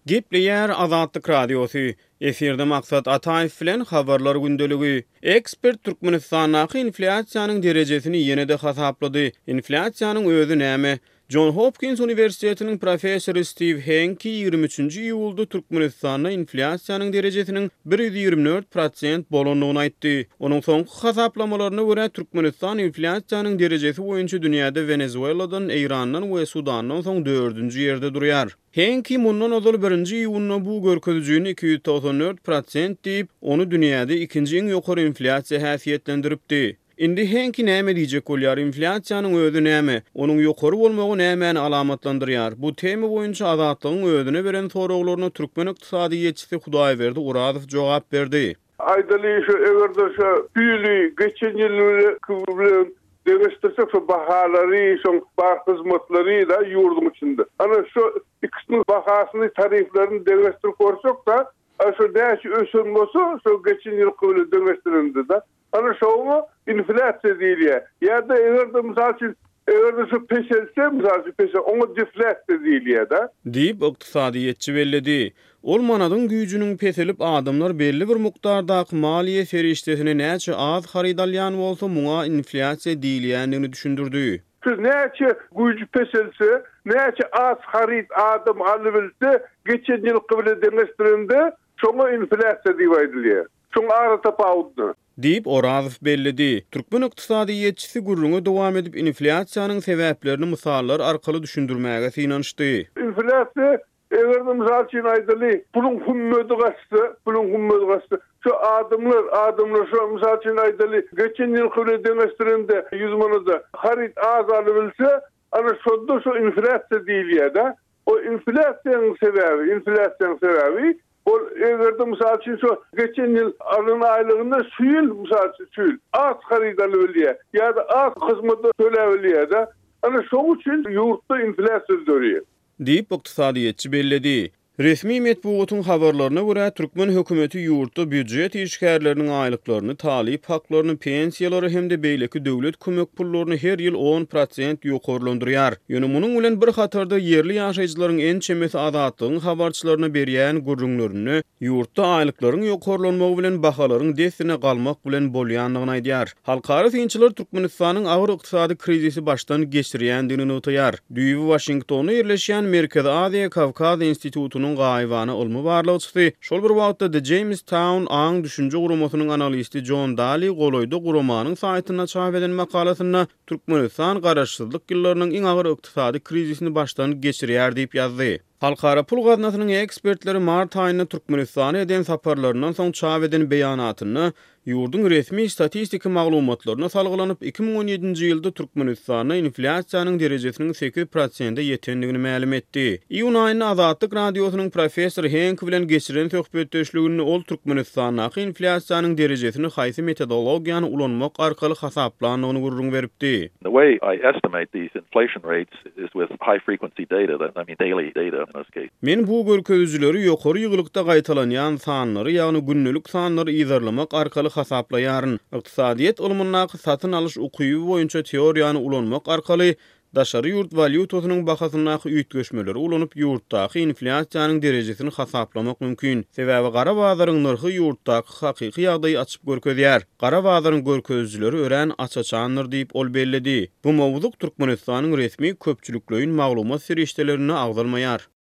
Gepleýär Azatlyk Radiosy, Efirde Maksat Ataýew bilen Habarlar gündeligi. Ekspert Türkmenistandaky inflýasiýanyň derejesini ýene-de hasaplady. Inflýasiýanyň özi näme? Jon Hopkins uniwersitetiniň professory Stiw Henki 23-nji iýulda Türkmenistanda inflýasiýanyň derejesiniň 124 prosent bolandygyny aýtdy. Onuň soňky hasaplamalaryna görä, Türkmenistan inflýasiýanyň derejesi boýunça dünýäde Wenezueladan, Eýrandan we Sudandan soň dördünji ýerde durýar. Henki mundan ozal birinji iýunda bu görkezijini 294 prosent diýip, ony dünýäde ikinji iň ýokary inflýasiýa häsiýetlendiripdi. Indi Henki näme diýjek bolýar, inflýasiýanyň özi näme? Onuň ýokary bolmagy nämäni alamatlandyrýar? Bu tema boýunça Azatlygyň özüne beren soraglaryna türkmen ykdysadyýetçisi Hudaýberdi Orazow jogap berdi. Aýdaly şu eger-de şu ýyly geçen ýyl bilen deňeşdirsek şu bahalary, şoň bar hyzmatlary da ýurduň içinde. Ana şu ikisiniň bahasyny, tariflerini deňeşdirip görsek-de, şu näçe ösen bolsa şu geçen ýylky bilen deňeşdirende-de, Ana şoňa inflýasiýa diýilýär. Ýa-da eger-de mysal üçin, eger-de şu peselse, mysal üçin pese, oňa deflýasiýa diýilýär-de. Diýip, ykdysadyýetçi belledi. Ol manadyň güýjüniň peselip, adamlar belli bir mukdardaky maliýe serişdesine näçe az haryt alýan bolsa, muňa inflýasiýa diýilýändigini düşündirdi. Şu näçe güýji peselse, näçe az haryt adam alybilse, geçen ýylky bilen deňeşdirende, şoňa inflýasiýa diýip aýdylýar. Şoň aratapawudyny. Diýip, Orazow belledi. Türkmen ykdysadyýetçisi gürrüňe dowam edip, inflýasiýanyň sebäplerini mysallar arkaly düşündirmäge synanyşdy. Inflýasiýa, eger-de mysal üçin aýdaly, puluň hümmedi gaçsa, puluň hümmedi gaçsa, şu adamlar, adamlar şu mysal üçin aýdaly, geçen ýylky bilen deňeşdirende ýüz manada haryt az alybilse, ana şonda şu inflýasiýa diýilýär-de. O inflýasiýanyň sebäbi, inflýasiýanyň sebäbi ol eger-de mysal üçin şu geçen ýyl alan aýlygynda şu ýyl mysal üçin şu ýyl az haryt alybilýär ýa-da az hyzmata töläbilýär-de. Ana şoň üçin ýurtda inflýasiýa döreýär. Diýip, ykdysadyýetçi belledi. Resmi metbugatyň habarlaryna görä, türkmen hökümeti ýurtda býujet işgärleriniň aýlyklaryny, talyp haklaryny, pensiýalary hem-de beýleki döwlet kömek pullaryny her ýyl 10% ýokarlandyrýar. Ýöne munuň bilen bir hatarda ýerli ýaşaýjylaryň ençemesi Azatlygyň habarçylaryna berýän gürrüňlerinde ýurtda aýlyklaryň ýokarlanmagy bilen bahalaryň dessine galmak bilen bolýandygyny aýdýar. Halkara synçylar Türkmenistanyň agyr ykdysady krizisi başdan geçirýändigini nygtaýar. Düýbi Waşingtonda ýerleşýän Merkezi Aziýa Kawkaz institutynyň gaýybana ylmy barlagçysy, şol bir wagtda The Jamestown aň-düşünje guramasynyň analisti Jon Dali golaýda guramanyň saýtynda çap eden makalasynda Türkmenistan garaşsyzlyk ýyllarynyň iň agyr ykdysady krizisini başdan geçirýär diýip ýazdy. Halkara pul gaznasynyň ekspertleri mart aýynda Türkmenistana eden saparlaryndan soň çap eden beýanatynda ýurduň resmi statistiki maglumatlaryna salgylanyp, 2017-nji ýylda Türkmenistanda inflýasiýanyň derejesiniň sekiz prosente ýetendigini mälim etdi. Iýun aýynda Azatlyk Radiosynyň professor Henk bilen geçiren söhbetdeşliginde ol Türkmenistandaky inflýasiýanyň derejesini haýsy metodologiýany ulanmak arkaly hasaplandygyny gürrüň beripdi. The way I estimate these inflation rates is with high frequency data, that I mean daily data in this case. Men bu görkezijileri ýokary ýygylykda gaýtalanýan sanlary, ýagny gündelik sanlary yzarlamak arkaly hasaplaýaryn. Ykdysadyýet ylmyndaky satyn alyş ukyby boýunça teoriýany ulanmak arkaly daşary ýurt walýutasynyň bahasyndaky üýtgeşmeleri ulanyp ýurtdaky inflýasiýanyň derejesini hasaplamak mümkin. Sebäbi gara bazaryň nyrhy ýurtdaky hakyky ýagdaýy açyp görkezýär. Gara bazaryň görkezijileri örän aç-açandyr diýip, ol belledi. Bu mowzuk Türkmenistanyň resmi köpçülikleýin maglumat serişdelerinde agzalmaýar.